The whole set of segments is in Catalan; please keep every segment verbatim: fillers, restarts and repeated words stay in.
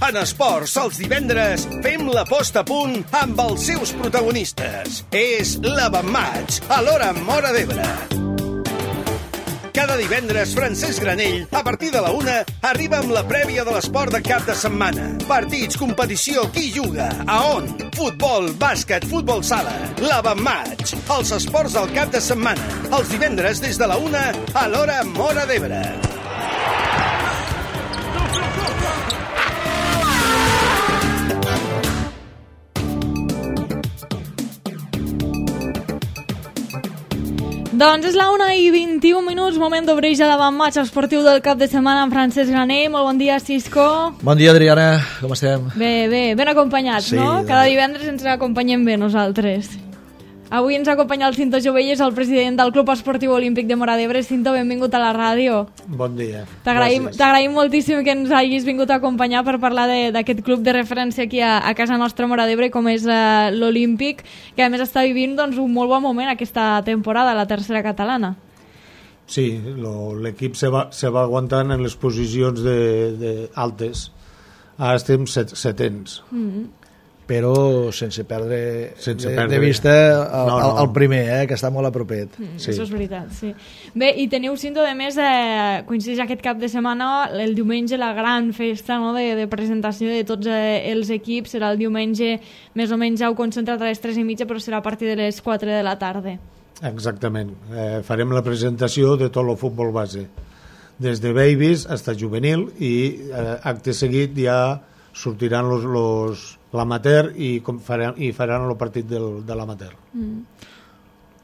En esports, els divendres, fem la posta a punt amb els seus protagonistes. És l'Avantmatch, a l'hora Móra d'Ebre. Cada divendres, Francesc Granell, a partir de la una, arriba amb la prèvia de l'esport de cap de setmana. Partits, competició, qui juga, a on? Futbol, bàsquet, futbol sala. L'Avantmatch, els esports del cap de setmana. Els divendres, des de la una, a l'hora Móra d'Ebre. Doncs és la una i vint-i-un minuts, moment d'obrir ja l'Avantmatch esportiu del cap de setmana amb Francesc Granell. Molt bon dia, Cisco. Bon dia, Adriana. Com estem? Bé, bé, ben acompanyats, sí, no? Cada divendres ens acompanyem bé nosaltres. Avui ens acompanya el Cinto Jovelles, el president del Club Esportiu Olímpic de Móra d'Ebre. Cinto, benvingut a la ràdio. Bon dia. T'agraïm, t'agraïm moltíssim que ens hagis vingut a acompanyar per parlar d'aquest club de referència aquí a, a casa nostra, Móra d'Ebre, com és uh, l'Olímpic, que a més està vivint doncs, un molt bon moment aquesta temporada, la tercera catalana. Sí, l'equip se va, se va aguantant en les posicions de, de altes. Ara estem set, setens. Mm-hmm. Però sense perdre, sense de, perdre de vista el, no, no. el primer, eh, que està molt a propet. Mm, sí. Això és veritat, sí. Bé, i teniu, Cinto, de més, eh, coincideix aquest cap de setmana, el diumenge, la gran festa, no?, de, de presentació de tots eh, els equips. Serà el diumenge, més o menys heu concentrat a les tres i mitja, però serà a partir de les quatre de la tarda. Exactament. Eh, farem la presentació de tot el futbol base, des de babies fins a juvenil, i eh, acte seguit ja sortiran los, los l'amateur i, faran, i faran el partit del, de l'amateur. Mm.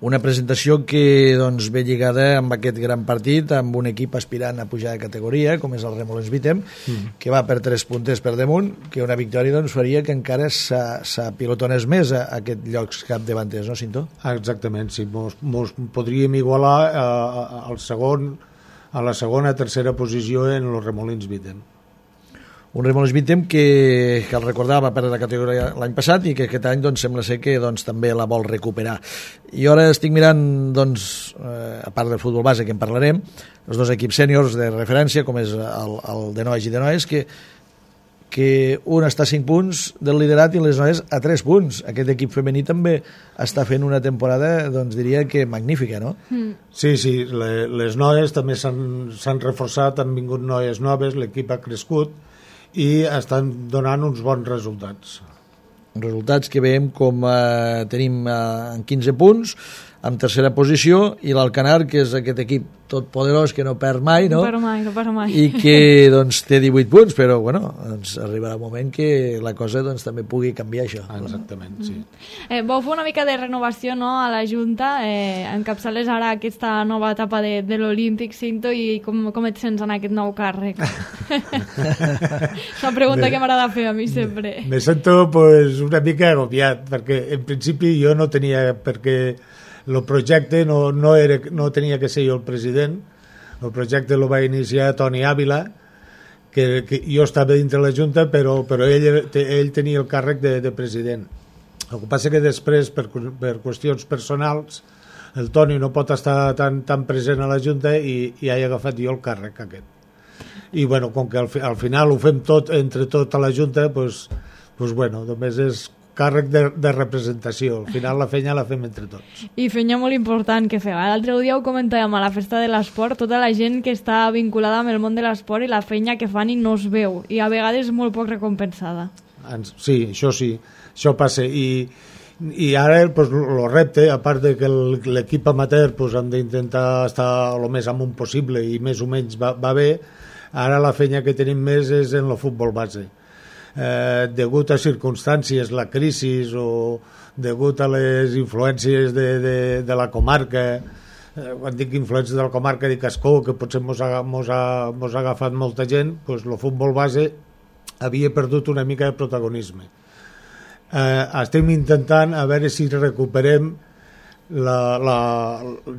Una presentació que doncs, ve lligada amb aquest gran partit, amb un equip aspirant a pujar de categoria, com és el Remolins Vitem, mm. que va per tres puntes per damunt, que una victòria doncs, faria que encara s'apilotonés més a, a aquest llocs capdavanters, no, Cinto? Exactament, sí. Mos, mos podríem igualar a, a, al segon, a la segona tercera posició en el Remolins Vitem. Un Remolins Vitem que, que el recordava per la categoria l'any passat i que aquest any doncs, sembla ser que doncs, també la vol recuperar. I ara estic mirant, doncs, eh, a part del futbol base que en parlarem, els dos equips sèniors de referència, com és el, el de nois i de noies, que, que un està a cinc punts del liderat i les noies a tres punts. Aquest equip femení també està fent una temporada, doncs diria que magnífica, no? Mm. Sí, sí, le, les noies també s'han reforçat, han vingut noies noves, l'equip ha crescut i estan donant uns bons resultats. Resultats que veiem com eh, tenim eh, en quinze punts, en tercera posició, i l'Alcanar, que és aquest equip tot poderós que no perd mai, no? No perd mai, no perd mai. I que doncs, té divuit punts, però bueno, doncs, arribarà un moment que la cosa doncs, també pugui canviar això. Ah, exactament, sí. Eh, vau fer una mica de renovació, no?, a la Junta, eh, encapçales ara aquesta nova etapa de, de l'Olímpic, Cinto, i com, com et sents en aquest nou càrrec? És una pregunta me, que m'agrada fer a mi sempre. Me sento pues, una mica agobiat, perquè en principi jo no tenia perquè el projecte no, no, era, no tenia que ser jo el president. El projecte el va iniciar Toni Ávila, que, que jo estava dintre la Junta, però, però ell, ell tenia el càrrec de, de president. El que passa que després, per, per qüestions personals, el Toni no pot estar tan, tan present a la Junta i, i he agafat jo el càrrec aquest. I bueno, com que al, al final ho fem tot entre tota la Junta, pues, pues bueno, només és càrrec de, de representació. Al final la feina la fem entre tots. I feina molt important que feu. L'altre dia ho comentàvem a la festa de l'esport, tota la gent que està vinculada amb el món de l'esport i la feina que fan i no es veu. I a vegades molt poc recompensada. Sí, això sí. Això passa. I, i ara pues, el repte, a part de que l'equip amateur pues, han d'intentar estar el més amunt possible i més o menys va, va bé, ara la feina que tenim més és en el futbol base. Eh, degut a circumstàncies, la crisi o degut a les influències de, de, de la comarca, eh, quan dic influències de la comarca dic Ascó, que potser mos ha, mos ha, mos ha agafat molta gent, doncs el futbol base havia perdut una mica de protagonisme. Eh, estem intentant a veure si recuperem la, la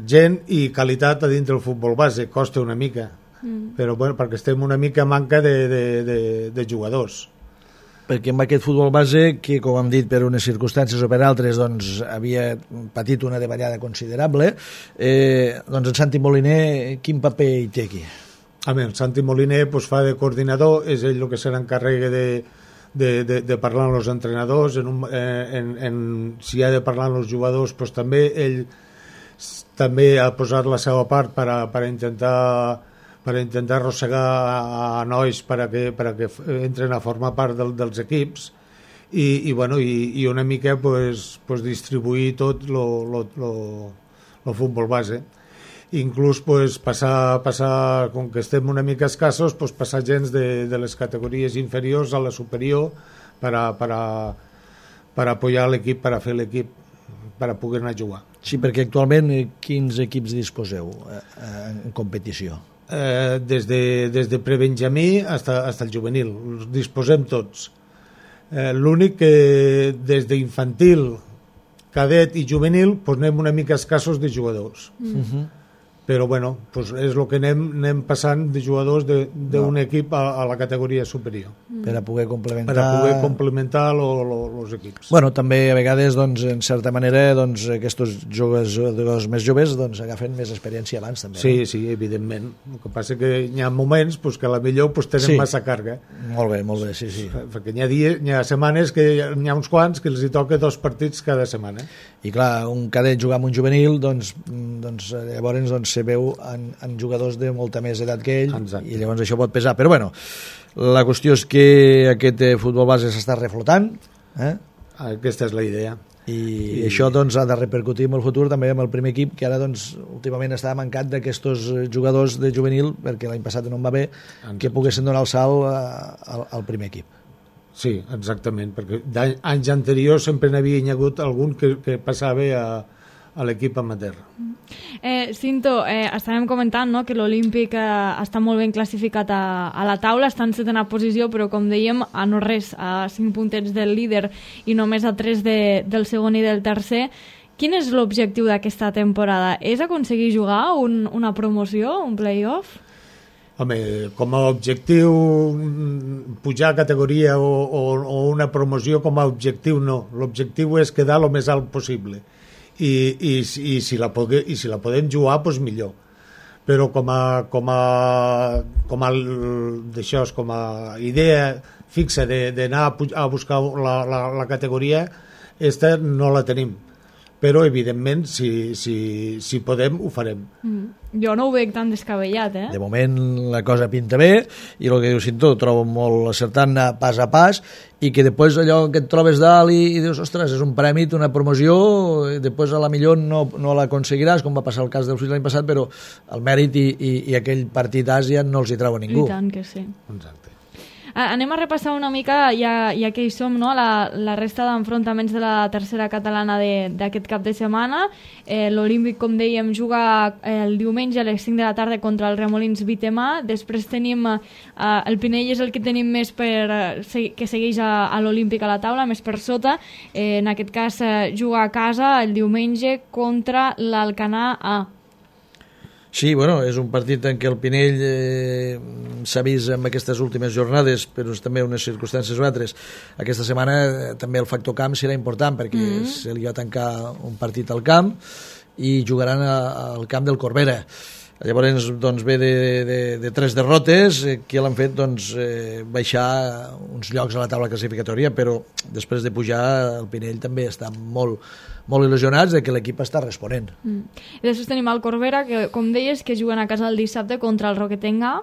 gent i qualitat a dintre del futbol base. Costa una mica, mm. però bueno, perquè estem una mica manca de, de, de, de jugadors. Perquè amb aquest futbol base, que com hem dit per unes circumstàncies o per altres doncs, havia patit una davallada considerable, eh, doncs en Santi Moliner quin paper hi té aquí? A mi, el Santi Moliner pues, fa de coordinador, és ell el que se n'encarrega de, de, de, de parlar amb els entrenadors, en un, en, en, si ha de parlar amb els jugadors, pues, també ell també ha posat la seva part per a, per a intentar per a intentar arrossegar a, a nois per a que, per a que entren a formar part del, dels equips i, i, bueno, i, i una mica pues, pues, distribuir tot el futbol base. Inclús pues, passar, passar, com que estem una mica escassos, pues, passar gens de, de les categories inferiors a la superior per a, per a, per a apoyar l'equip, per a fer l'equip, per a poder anar a jugar. Sí, perquè actualment quins equips disposeu eh, en competició? Eh, des de, des de prebenjamí hasta, hasta el juvenil, els disposem tots. Eh, l'únic que des d'infantil, cadet i juvenil pues anem una mica escassos de jugadors. Mm. Uh-huh. Però bueno, pues és el que anem, anem passant de jugadors d'un no. equip a, a la categoria superior. Mm. Per a poder complementar... Per a poder complementar els equips. Bueno, també a vegades, doncs, en certa manera, doncs, aquests jugadors més joves doncs, agafen més experiència abans, també. Sí, no? sí, evidentment. El que passa que hi ha moments pues, que a la millor pues, tenen sí. massa càrrega. Molt bé, molt bé, sí, sí. Perquè hi ha, dies, hi ha setmanes que hi ha uns quants que els hi toca dos partits cada setmana. I clar, un cadet jugar amb un juvenil, doncs, doncs llavors doncs, se veu en, en jugadors de molta més edat que ell. Exacte. I llavors això pot pesar. Però bueno, la qüestió és que aquest futbol base s'està reflotant. Eh? Aquesta és la idea. I, I això doncs, ha de repercutir en el futur també amb el primer equip, que ara doncs, últimament està mancat d'aquests jugadors de juvenil, perquè l'any passat no en va bé, exacte. Que poguessin donar el salt al, al primer equip. Sí, exactament, perquè anys anteriors sempre n'havia hagut algun que, que passava a, a l'equip amateur. Eh, Cinto, eh, estàvem comentant no, que l'Olímpic eh, està molt ben classificat a, a la taula, està en setena posició, però com dèiem, a no res, a cinc puntets del líder i només a tres de, del segon i del tercer. Quin és l'objectiu d'aquesta temporada? És aconseguir jugar un, una promoció, un play-off? Home, com a objectiu pujar a categoria o, o, o una promoció com a objectiu no. L'objectiu és quedar el més alt possible. I, i, i, si, la pogue, i si la podem jugar, doncs millor. Però com a, com a, com a, d'això, com a idea fixa d'anar a, a buscar la, la, la categoria, esta no la tenim. Però, evidentment, si, si, si podem, ho farem. Mm. Jo no ho veig tan descabellat, eh? De moment la cosa pinta bé, i el que diu Cinto, ho trobo molt acertant pas a pas, i que després allò que et trobes dalt i, i dius, ostres, és un premi, una promoció, i després a la millor no, no l'aconseguiràs, com va passar el cas del Flix l'any passat, però el mèrit i, i, i aquell partit d'Àsia no els hi treu a ningú. I tant que sí. Exacte. Anem a repassar una mica, ja, ja que hi som, no? la, la resta d'enfrontaments de la tercera catalana d'aquest cap de setmana. Eh, L'Olímpic, com dèiem, juga el diumenge a les cinc de la tarda contra el Remolins Vitemà. Després tenim eh, el Pinell és el que tenim més per, eh, que segueix a, a l'Olímpic a la taula, més per sota. Eh, en aquest cas eh, juga a casa el diumenge contra l'Alcanar A. Sí, bueno, és un partit en què el Pinell eh, s'ha vist en aquestes últimes jornades, però també unes circumstàncies o altres. Aquesta setmana eh, també el factor camp serà important, perquè mm-hmm. se li va tancar un partit al camp i jugaran a, al camp del Corbera. Llavors doncs, ve de, de, de tres derrotes eh, que l'han fet doncs, eh, baixar uns llocs a la taula classificatòria, però després de pujar el Pinell també està molt, molt il·lusionats de que l'equip està responent. Mm. I després tenim el Corbera, que com deies, que juguen a casa el dissabte contra el Roquetenga,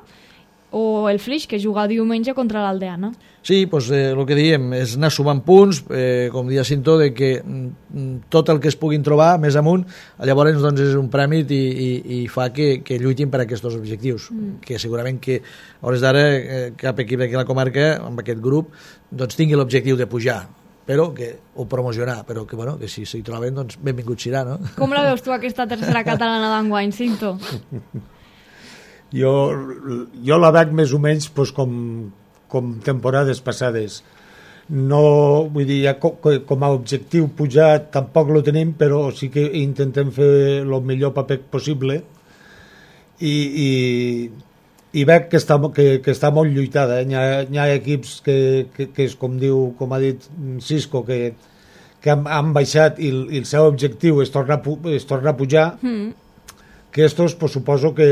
o el Flix, que juga diumenge contra l'Aldeana. Sí, doncs eh, el que diem és anar sumant punts, eh, com dia Cinto, de que mm, tot el que es puguin trobar més amunt, llavors doncs, és un premi i, i, i fa que, que lluitin per aquests objectius, mm. que segurament que a hores d'ara eh, cap equip d'aquí a la comarca, amb aquest grup, doncs tingui l'objectiu de pujar, però que o promocionar, però que, bueno, que si s'hi troben, doncs benvingut serà, no? Com la veus tu aquesta tercera catalana d'enguany, Cinto? Jo, jo la veig més o menys doncs, com, com temporades passades. No, vull dir, ja com, com a objectiu pujar tampoc lo tenim, però sí que intentem fer el millor paper possible i, i, i veig que està, que, que està molt lluitada. Eh? Hi, ha, hi ha equips que, que, que és com diu, com ha dit Cisco, que, que han, han baixat i, i el seu objectiu és tornar, és tornar a pujar, mm. que estos pues, suposo que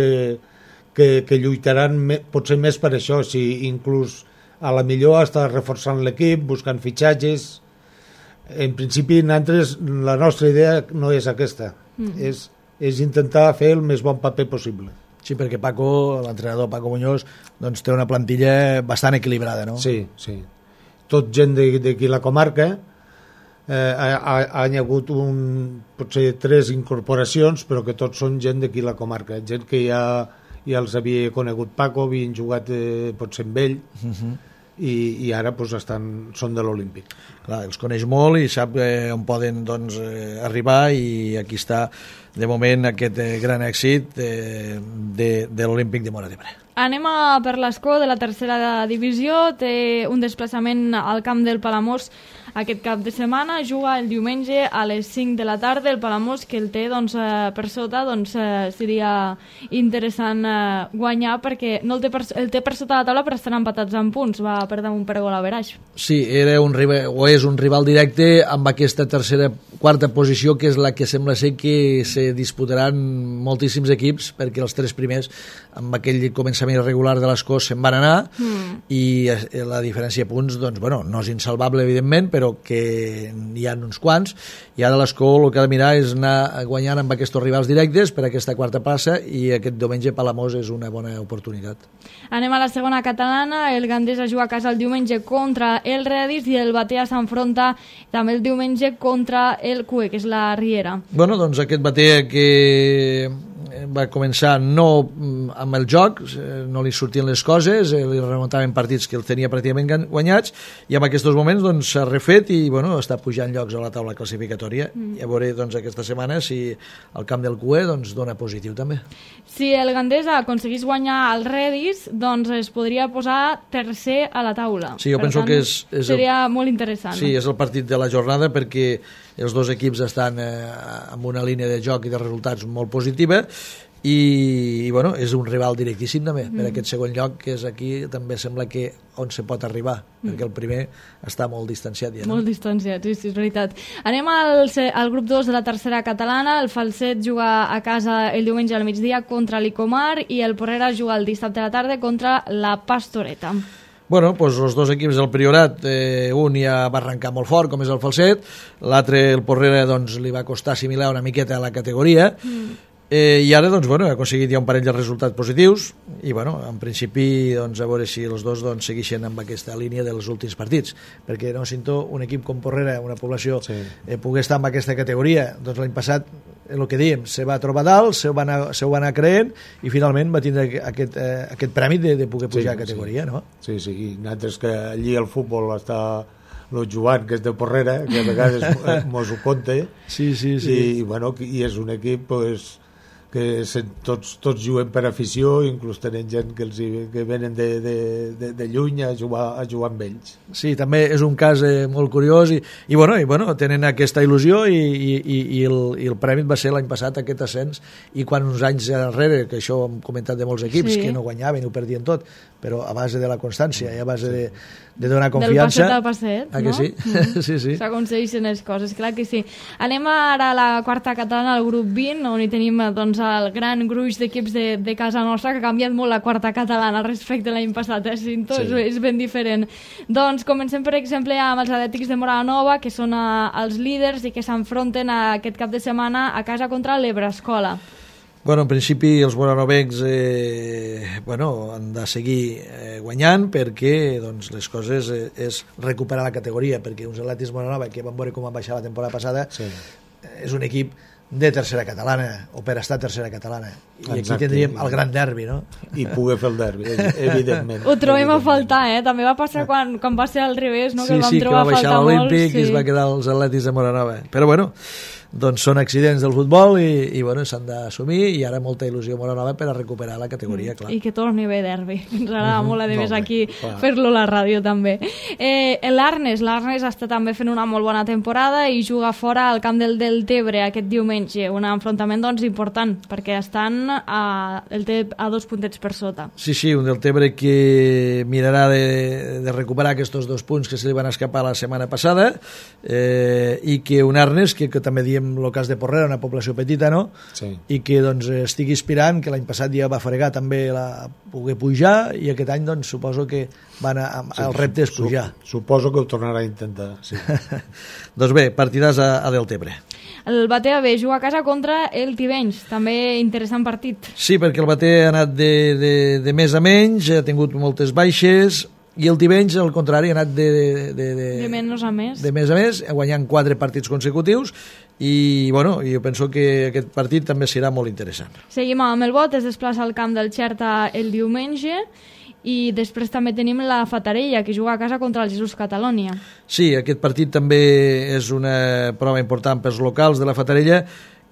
que, que lluitaran me, potser més per això, si inclús a la millor està reforçant l'equip, buscant fitxatges. En principi, nosaltres, la nostra idea no és aquesta, mm. és, és intentar fer el més bon paper possible. Sí, perquè Paco, l'entrenador Paco Muñoz, doncs té una plantilla bastant equilibrada, no? Sí, sí. Tot gent d'aquí la comarca, eh, ha, ha, han hagut un, potser tres incorporacions, però que tots són gent d'aquí la comarca, gent que ja, ja els havia conegut Paco, havien jugat eh, potser amb ell, uh-huh. i, i ara pues, estan, són de l'Olímpic. Clar, els coneix molt i sap eh, on poden doncs, eh, arribar, i aquí està de moment aquest eh, gran èxit eh, de, de l'Olímpic de Móra d'Ebre. Anem a per l'escó de la tercera divisió, té un desplaçament al camp del Palamós aquest cap de setmana, juga el diumenge a les cinc de la tarda. El Palamós, que el té doncs, eh, per sota, doncs, eh, seria interessant eh, guanyar, perquè no el té, per, el té per sota la taula, però estan empatats en punts, va per damunt per gol a veraix. Sí, era un rival, o és un rival directe amb aquesta tercera, quarta posició, que és la que sembla ser que se disputaran moltíssims equips, perquè els tres primers, amb aquell començament irregular de l'escó, se'n van anar, mm. i la diferència de punts, doncs, bueno, no és insalvable, evidentment, però que hi ha uns quants, i ara l'escó el que ha de mirar és anar guanyant amb aquests rivals directes per aquesta quarta plaça, i aquest diumenge Palamós és una bona oportunitat. Anem a la segona catalana. El Gandesa juga a casa el diumenge contra el Redis, i el Batea s'enfronta també el diumenge contra el Cue, que és la Riera. Bueno, doncs aquest Batea que va començar no amb el joc, no li sortien les coses, li remuntaven partits que el tenia pràcticament guanyats, i en aquests moments doncs, s'ha refet i bueno, està pujant llocs a la taula classificatòria. Mm. I a veure doncs, aquesta setmana si el camp del Cue doncs, dona positiu també. Si el Gandesa aconseguís guanyar el Redis, doncs es podria posar tercer a la taula. Sí, jo per penso tant, que és, és seria el, molt interessant. Sí, és el partit de la jornada, perquè els dos equips estan eh, amb una línia de joc i de resultats molt positiva, i, i bueno, és un rival directíssim també, mm. per aquest segon lloc, que és aquí també sembla que on se pot arribar, mm. perquè el primer està molt distanciat ja, no? Molt distanciat, sí, sí, és veritat. Anem al, al grup dos de la tercera catalana. El Falset juga a casa el diumenge al migdia contra l'Icomar, i el Porrera juga el dissabte a la tarda contra la Pastoreta. Bueno, doncs els dos equips del Priorat, eh, un ja va arrencar molt fort, com és el Falset, l'altre, el Porrera, doncs, li va costar assimilar una miqueta a la categoria, mm. eh, i ara doncs, bueno, ha aconseguit ja un parell de resultats positius, i bueno, en principi doncs, a veure si els dos doncs, segueixen amb aquesta línia dels últims partits, perquè no sento un equip com Porrera, una població, sí. eh, pogués estar en aquesta categoria. Doncs l'any passat, el que dèiem, se va trobar dalt, se ho va anar, se ho va anar creent, i finalment va tindre aquest, eh, aquest prèmit de, de poder pujar sí, a categoria, sí. no? Sí, sí, i nosaltres que allí el futbol està el Joan, que és de Porrera, que a vegades mos ho conta, sí, sí, sí. I, i, bueno, i és un equip pues, que se, tots, tots juguen per afició, inclús tenen gent que, els, que venen de, de, de, de lluny a jugar, a jugar amb ells. Sí, també és un cas eh, molt curiós, i, i, bueno, i bueno, tenen aquesta il·lusió, i, i, i, el, i el premi va ser l'any passat aquest ascens, i quan uns anys enrere, que això ho hem comentat de molts equips, sí. que no guanyaven, ho perdien tot, però a base de la constància i a base de, de donar confiança... Del passet al passet, ah, no? Que sí? Mm. sí, sí. S'aconsegueixen les coses, clar que sí. Anem ara a la quarta catalana, al grup vint, on hi tenim doncs, el gran gruix d'equips de, de casa nostra, que ha canviat molt la quarta catalana respecte a l'any passat, eh, Cinto? Sí. És, és ben diferent. Doncs comencem, per exemple, amb els Atlètics de Móra la Nova, que són a, els líders i que s'enfronten aquest cap de setmana a casa contra l'Ebrascola. Bueno, en principi els moranovencs eh, bueno, han de seguir eh, guanyant, perquè doncs, les coses eh, és recuperar la categoria, perquè uns Atlètics Moranova, que van veure com van baixar la temporada passada, sí. és un equip de tercera catalana, o per estar tercera catalana, i Exacte. Aquí tindríem el gran derbi, no? I poder fer el derbi, evidentment. Ho trobem evidentment. A faltar, eh? També va passar quan, quan va ser al revés, no? Sí, que vam sí, trobar que va baixar l'Olímpic sí. i es va quedar els Atlètics de Moranova. Però bueno, doncs són accidents del futbol i, i bueno, s'han d'assumir, i ara molta il·lusió Moranova per a recuperar la categoria, clar. I que torni bé derbi. Ens agrada uh-huh. molt, a més, aquí clar. Fer-lo a la ràdio també. Eh, L'Arnes, l'Arnes està també fent una molt bona temporada i juga fora al camp del Deltebre aquest diumenge, un enfrontament doncs important, perquè estan a, el té a dos puntets per sota. Sí, sí, un Deltebre que mirarà de, de recuperar aquests dos punts que se li van escapar la setmana passada, eh, i que un Arnes que, que també diem en el cas de Porrera, una població petita, no? Sí. I que doncs, estigui aspirant, que l'any passat ja va fregar també la poder pujar, i aquest any doncs, suposo que van a, a, sí, el repte és pujar. Suposo que ho tornarà a intentar, sí. Doncs bé, partidàs a, a Deltebre. El Batea B juga a casa contra el Tivenys, també interessant partit. Sí, perquè el Batea ha anat de, de, de més a menys, ha tingut moltes baixes, i el Tivenys, al contrari, ha anat de, de, de, de, de menys a més. De més a més, guanyant quatre partits consecutius, i bueno, jo penso que aquest partit també serà molt interessant. Seguim amb el Bot, es desplaça al camp del Xerta el diumenge, i després també tenim la Fatarella, que juga a casa contra el Jesús Catalònia. Sí, aquest partit també és una prova important pels locals de la Fatarella,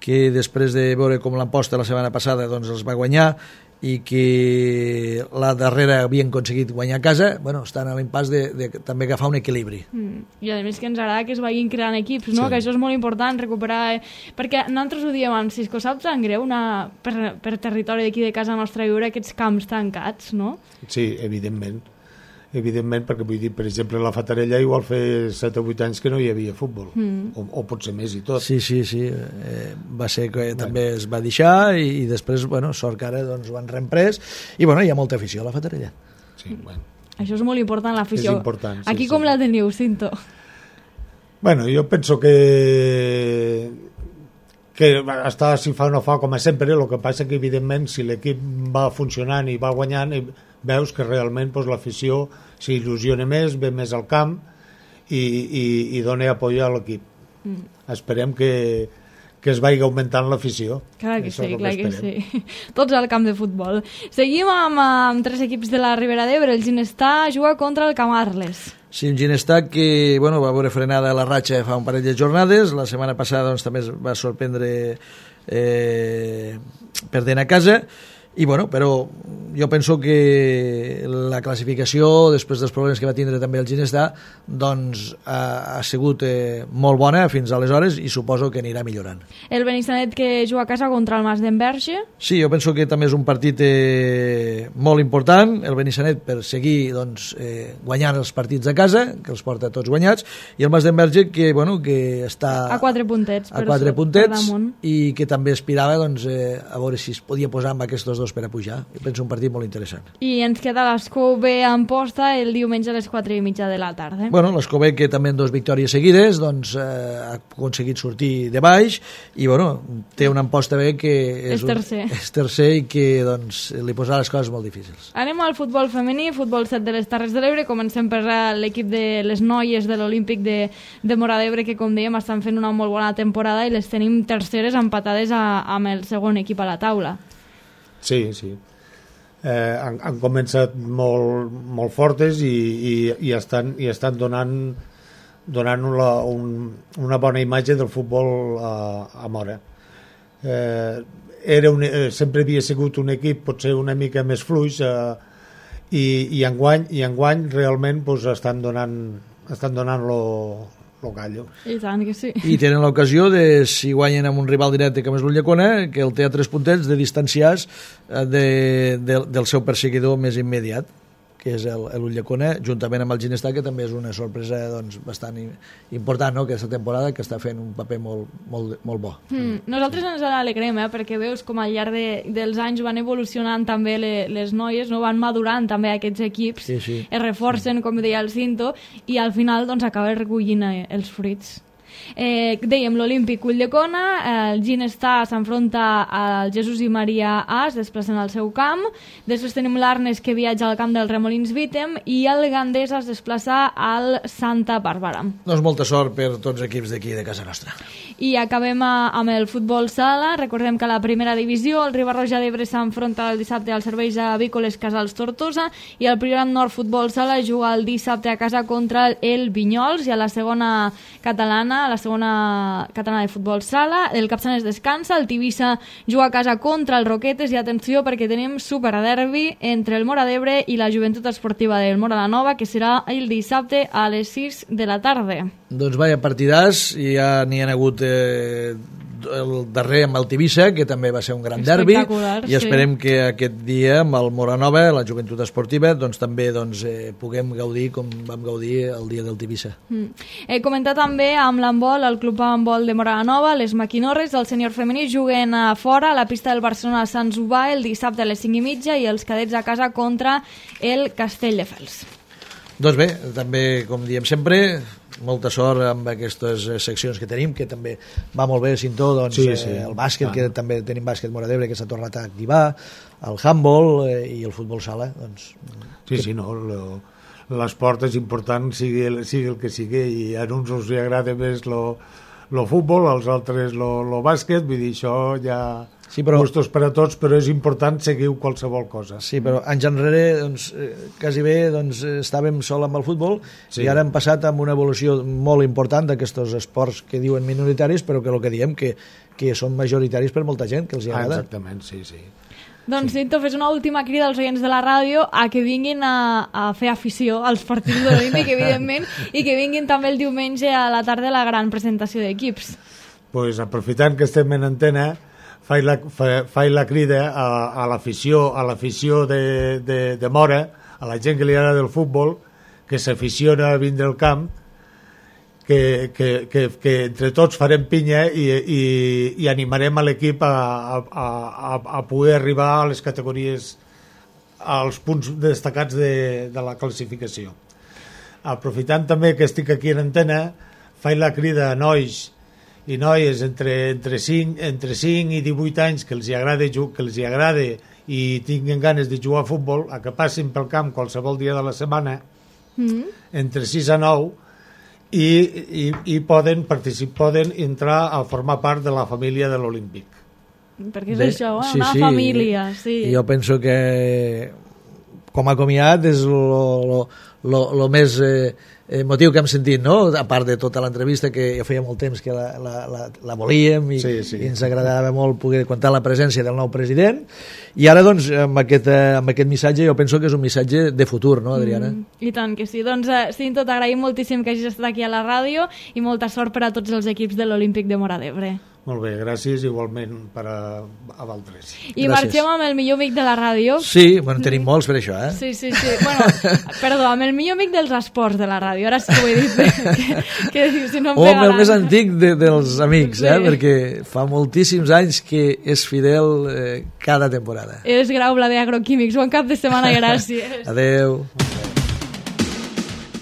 que després de veure com l'Amposta la setmana passada doncs, els va guanyar, i que la darrera havien aconseguit guanyar a casa, bueno, estan a l'impàs de, de també agafar un equilibri. Mm. I a més que ens agrada que es vagin creant equips, no? Sí. Que això és molt important, recuperar... perquè nosaltres ho diem amb Cisco, saps tan greu una, per, per territori d'aquí de casa nostra viure aquests camps tancats, no? Sí, evidentment. Evidentment, perquè vull dir, per exemple, la Fatarella igual fa set o vuit anys que no hi havia futbol, mm. o, o potser més i tot. Sí, sí, sí, eh, va ser que bueno. també es va deixar, i, i després, bueno, sort que ara doncs, ho han reemprès, i bueno, hi ha molta afició a la Fatarella. Sí, bueno. Això és molt important, l'afició. És important, sí, aquí sí. Com la teniu, Cinto? Bueno, jo penso que que està si fa o no fa com a sempre, el que passa que evidentment si l'equip va funcionant i va guanyant, veus que realment doncs, l'afició s'il·lusiona més, ve més al camp i, i, i dona apoyo a l'equip. Mm. Esperem que, que es vagi augmentant l'afició. Clar que Això sí, clar que, que sí. Tots al camp de futbol. Seguim amb, amb tres equips de la Ribera d'Ebre. El Ginestà juga contra el Camarles. Sí, un Ginestà que bueno, va veure frenada la ratxa fa un parell de jornades. La setmana passada doncs, també es va sorprendre eh, perdent a casa. I bueno, però jo penso que la classificació, després dels problemes que va tindre també el Ginestà, doncs ha, ha sigut eh, molt bona fins aleshores i suposo que anirà millorant. El Benissanet que juga a casa contra el Mas d'Enverge. Sí, jo penso que també és un partit eh, molt important, el Benissanet per seguir doncs, eh, guanyant els partits a casa, que els porta tots guanyats, i el Mas d'Enverge que, bueno, que està a quatre puntets, a quatre puntets i que també aspirava doncs, eh, a veure si es podia posar amb aquests dos per a pujar. Jo penso un partit molt interessant. I ens queda l'Escó B en posta el diumenge a les quatre i mitja de la tarda. Bueno, l'Escó B que també en dues victòries seguides doncs, eh, ha aconseguit sortir de baix i bueno, té una Amposta B que és, és tercer. Un, és tercer i que doncs, li posarà les coses molt difícils. Anem al futbol femení, futbol set de les Terres de l'Ebre. Comencem per l'equip de les noies de l'Olímpic de, de Móra d'Ebre que, com dèiem, estan fent una molt bona temporada i les tenim terceres empatades a, amb el segon equip a la taula. Sí, sí. Eh, han, han començat molt, molt fortes i, i, i, estan, i estan donant, donant una, un, una bona imatge del futbol a, a Móra. Eh, era un, eh, sempre havia sigut un equip potser una mica més fluix eh, i, i, enguany, i enguany realment pues, estan donant, estan donant lo, lo gallo. I tant que sí. I tenen l'ocasió de, si guanyen amb un rival directe com és l'Ulldecona, que el té a tres puntets de distanciats de, de, del seu perseguidor més immediat, que és l'Ulldecona, juntament amb el Ginestà, que també és una sorpresa doncs, bastant important, no?, aquesta temporada, que està fent un paper molt, molt, molt bo. Mm, nosaltres ens alegrem, eh?, perquè veus com al llarg de, dels anys van evolucionant també le, les noies, no? Van madurant també aquests equips, sí, sí. es reforcen, com deia el Cinto, i al final doncs, acaba recollint eh, els fruits. Eh, dèiem l'Olímpic Ulldecona, eh, el Ginestà s'enfronta al Jesús i Maria A, es desplacen al seu camp. Després tenim l'Arnes que viatja al camp del Remolins Vítem i el Gandesa es desplaça al Santa Bàrbara. Doncs molta sort per tots els equips d'aquí de casa nostra. I acabem a, amb el futbol sala. Recordem que a la primera divisió el Riba-roja d'Ebre s'enfronta el dissabte als serveis avícoles Casals Tortosa i el Priorat Nord Futbol Sala juga el dissabte a casa contra el Vinyols, i a la segona catalana, a la segona catalana de futbol sala, el Capçanes descansa, el Tivissa juga a casa contra el Roquetes, i atenció perquè tenim superderbi entre el Móra d'Ebre i la Joventut Esportiva del Móra la Nova, que serà el dissabte a les sis de la tarda. Doncs vaya partidàs, i ja n'hi ha hagut eh, el darrer amb el Tivissa, que també va ser un gran derbi, i esperem sí. que aquest dia amb el Moranova, la Joventut Esportiva, doncs també doncs, eh, puguem gaudir com vam gaudir el dia del Tivissa. Mm. He comentat també amb l'handbol, el club handbol de Moranova, les Maquinorres, el sènior femení juguen a fora a la pista del Barcelona Sant Zubà el dissabte a les cinc i mitja i els cadets a casa contra el Castelldefels. Doncs bé, també, com diem sempre, molta sort amb aquestes seccions que tenim, que també va molt bé, Cintó, doncs, sí, sí. Eh, el bàsquet, ah. que també tenim bàsquet Móra d'Ebre, que s'ha tornat a activar, el handball eh, i el futbol sala. Doncs, sí, que... sí, no, l'esport és important, sigui el, sigui el que sigui, i a uns us agrada més el futbol, als altres el bàsquet, vull dir, això ja... Sí, però... gustos per a tots, però és important seguir qualsevol cosa. Sí, però anys enrere doncs, eh, quasi bé doncs, estàvem sol amb el futbol sí. i ara hem passat amb una evolució molt important d'aquests esports que diuen minoritaris, però que el que diem que, que són majoritaris per molta gent, que els hi agrada. Ah, exactament, sí, sí. Doncs, Cinto, fes una última crida als oients de la ràdio a que vinguin a, a fer afició als partits de l'Olímpic, evidentment, i que vinguin també el diumenge a la tarda a la gran presentació d'equips. Pues, aprofitant que estem en antena, faig la, fa, faig la crida a, a l'afició a l'afició de, de, de Mora, a la gent que li agrada el futbol, que s'aficiona a vindre al camp, que, que, que, que entre tots farem pinya i, i, i animarem a l'equip a, a, a, a poder arribar a les categories, als punts destacats de, de la classificació. Aprofitant també que estic aquí en antena, faig la crida a nois i noies entre, entre, cinc, entre cinc i divuit anys que els hi agrada, que els hi agrada i tinguin ganes de jugar a futbol, a que passin pel camp qualsevol dia de la setmana, mm. entre sis a nou, i, i, i poden participar, poden entrar a formar part de la família de l'Olímpic. Perquè és Bé, això, eh? sí, una sí. família. Sí. Jo penso que com a comiat és el més eh, motiu que hem sentit, no? A part de tota l'entrevista, que ja feia molt temps que la, la, la, la volíem i, sí, sí. i ens agradava molt poder contar la presència del nou president, i ara doncs amb aquest, amb aquest missatge jo penso que és un missatge de futur, no, Adriana? Mm, I tant que sí. Doncs eh, Cinto, t'agraïm moltíssim que hagis estat aquí a la ràdio i molta sort per a tots els equips de l'Olímpic de Móra d'Ebre. Molt bé, gràcies, igualment per a, a Valtres. I gràcies. Marxem amb el millor amic de la ràdio. Sí, bueno, tenim molts per això, eh? Sí, sí, sí. Bueno, perdó, amb el millor amic dels esports de la ràdio. Ara sí que ho he dit. que, que, si no em o amb el més antic de, dels amics, sí. eh? Perquè fa moltíssims anys que és fidel eh, cada temporada. És Grau Blader Agroquímics. Bon cap de setmana, gràcies. Adeu.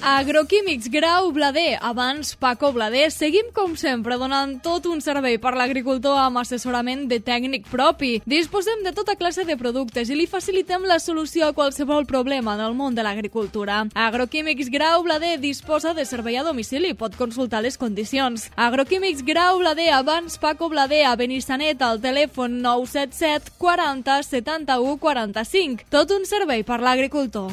Agroquímics Grau Blader, abans Paco Blader. Seguim com sempre donant tot un servei per l'agricultor amb assessorament de tècnic propi. Disposem de tota classe de productes i li facilitem la solució a qualsevol problema en el món de l'agricultura. Agroquímics Grau Blader disposa de servei a domicili, pot consultar les condicions. Agroquímics Grau Blader, abans Paco Blader, a Benissanet, al telèfon nou set set quaranta setanta-u quaranta-cinc. Tot un servei per l'agricultor.